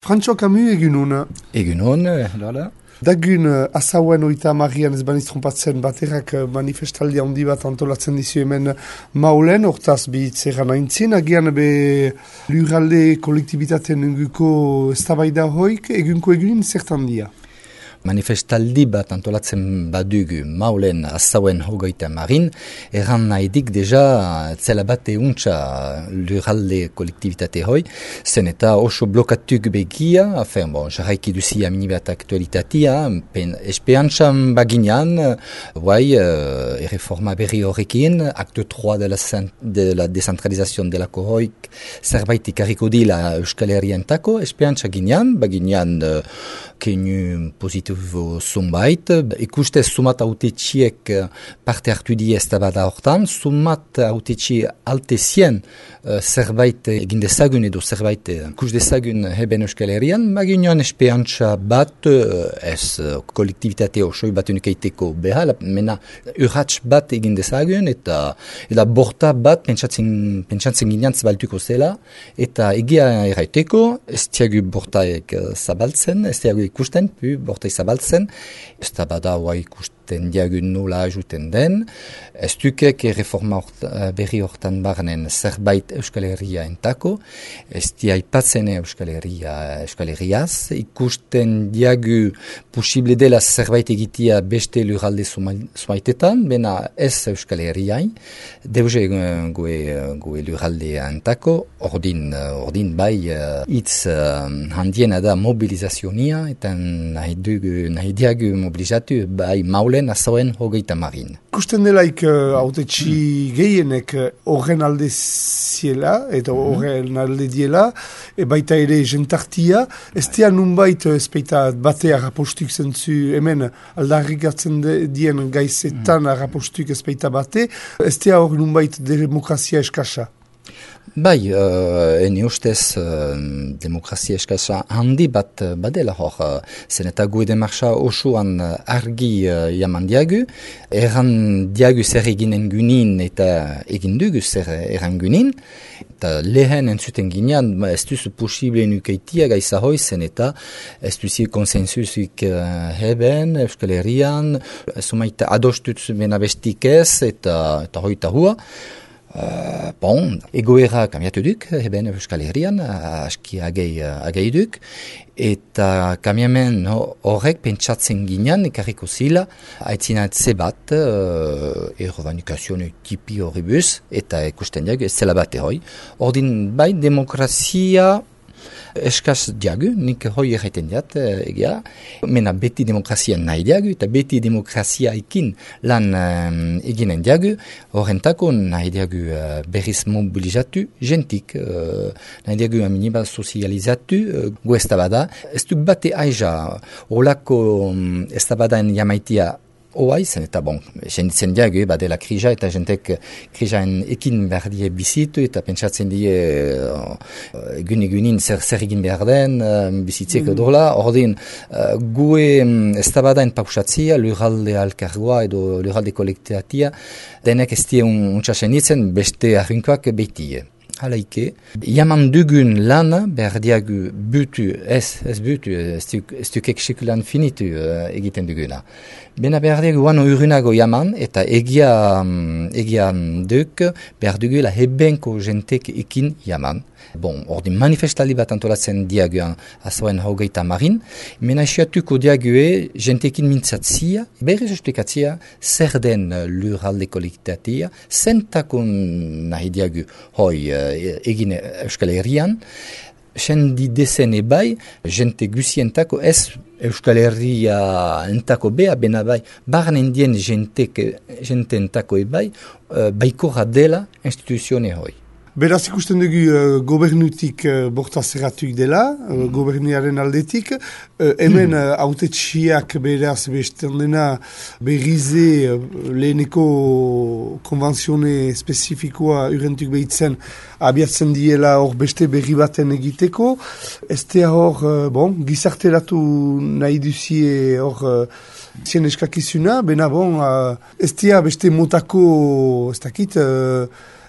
Frantxo Camus egunon. Egunon, Lola. Dagun azauen oita marian ez baniz trompatzen baterak manifestaldia handi bat antolatzen dizu hemen maulen, hortaz bihitzera naintzin, agian be lurralde kolektibitateen inguko eztabaida hoik, egunko egunin zertan dia. Manifestaldi bat antolatzen badugu maulen azauen hogeita marin, erran nahidik deja zela bat euntza lurralde kolektibitate hoi, zen eta oso blokatuk begia, jarraiki duzia minibat aktualitatea, espeantzan baginan, erreforma berri horrekin, akte 3 de la decentralizazion delako hoik, zerbait ikarriko dila Euskal Herrientako, espeantza baginan keinu positibo zumbait, ikuste sumat autetxiek parte hartu di eztabada hortan, sumat autetxi altezien zerbait egin dezagun edo zerbait ikus dezagun heben Euskal Herrian, baginan espeantza bat, ez kolektibitate osoi bat unukeiteko behal, mena urratx bat egin dezagun, eta borta bat pentsatzen ginean zabaltuko zela, eta egia erraiteko, ez tiagu bortaek zabaltzen, ez tiagu ikusten, bortai zabaltzen, ez da bada hoa ikusten diagun nola ajuten den, ez dukek reforma berri hortan barnen zerbait Euskal Herria entako, ez diaipatzen Euskal Herriaz, ikusten diagu posible dela zerbait egitea beste lurralde zumaitetan, bena ez Euskal Herriain, deuze goe lurralde entako, ordin bai hitz handiena da mobilizazionia, eta nahi diagu mobilizatu bai maulen azauen hogeita marin. Ikusten delaik autetxi gehienek horren alde ziela, eta horren alde diela, baita ere jentartia, ez dea nunbait ezpeita batea rapostuk zentzu hemen aldarrikatzen dien gaizetan rapostuk ezpeita bate, ez dea hor nunbait demokrazia eskasa. Bai, ene ustez demokrazia eskasa handi bat badela hor, zen eta gue demarcha osoan argi jaman diagu, erran diagu zer eginen gunin eta egin dugu zer erran gunin, eta lehen entzuten ginean, ez duzu posible nukeitia gaiza hoi zen eta ez duzi konsensusik heben, Euskal Herrian, sumaita adostutz benabestik ez eta hoita hua. Egoera kamiatu duk, heben Euskal Herrian, aski agei duk, eta kamiamen horrek pentsatzen ginean, ekarriko zila, haitzinatze bat, errovanikazioen tipi horribus, eta ikusten diag, ez zela bat erroi. Ordin bai, demokrazia eskaz diagu, nik hoi erraiten diat, egia, mena beti demokrazia nahi diagu, eta beti demokrazia ekin lan eginen diagu, horrentako nahi diagu berriz mobilizatu, jentik, nahi diagu aminiba sozializatu, gu estabada, ez du bate aiza, holako estabadaen jamaitia oai zen, eta jenditzen diagu, badela krija, eta jentek krijaen ekin behar die bizitu, eta pentsatzen die egunin zer egin behar den, bizitzeko dola, ordin, gue estabadaen pausatzia, lurralde alkargoa edo lurralde kolektatia, denek ez die untsasen ditzen, beste arrinkoak behitie. Halaike, jaman dugun lana behar diagu butu, ez dukek sekulan finitu egiten duguna. Bena behar diagu wano urunago jaman, eta egian duk behar dugula hebenko jentek ekin jaman. Ordin manifestaldi bat antolatzen diagu azauen hogeita marin, mena esiatuko diague jentekin mintzatzia, berriz esplikatzia, zer den lurralde kolektatia, zentakon nahi diagu hoi egin Euskal Herrian, sendi dezen ebai, jente gusientako ez Euskal Herria entako bea, bena bai, barnen dien jente entako ebai, baikorra dela instituzione hoi. Beraz ikusten dugu gobernutik borta zerratuk dela, goberniaren aldetik, hemen autetxiak beraz besten dena berrize leheneko konventzione spezifikoa urentuk behitzen abiatzen diela hor beste berri baten egiteko. Ez da hor, gizarteratu nahi duzie hor zien eskakizuna, bena ez da beste motako, ez dakit,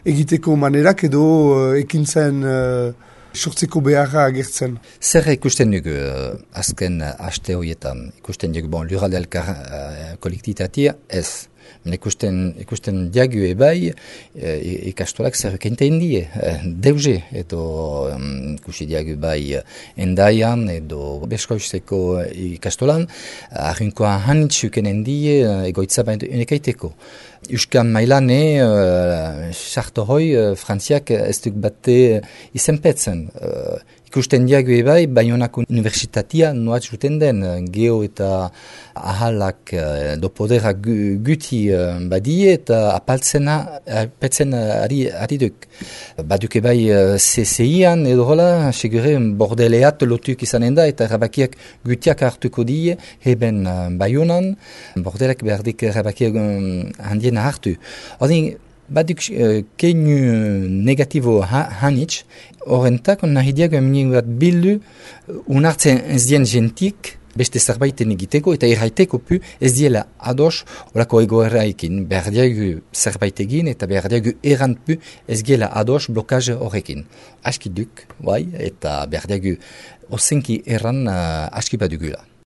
egiteko manerak edo ekintzen sortzeko beharra agertzen. Zer ikusten dugu azken aste horietan? Ikusten dugu lurralde elkar kolektitatea ez. Ikusten diagu ebai ikastolak zer kenten die, deuze, edo ikusi diagu bai endaian edo beskoizteko ikastolan, arrinkoa hanitzuken die egoitza baino unekaiteko. Euskan mailane, sarto hoi, frantziak ez duk bate izenpetzen. Ikusten diagu ebai, Baionako Universitatea noat zuten den, geo eta ahalak do poderak guti badie eta apaltzen ari duk. Baduk ebai CCI-an edo hola, segure bordeleat lotuk izanen da eta erabakiak gutiak hartuko die, heben Baionan, bordelak behardik erabakiak handiena hartu. Odin, baduk keinu negatibo hanitz, horrentak nahi diago eminen bat bildu unartzen ez dien gentik beste zerbaiten egiteko eta erraiteko pu ez diela ados orako egoerraikin. Behar diago zerbait egin eta behar diago errant pu ez diela ados blokaz horrekin. Aski duk, bai, eta behar diago ozenki erran aski badugula.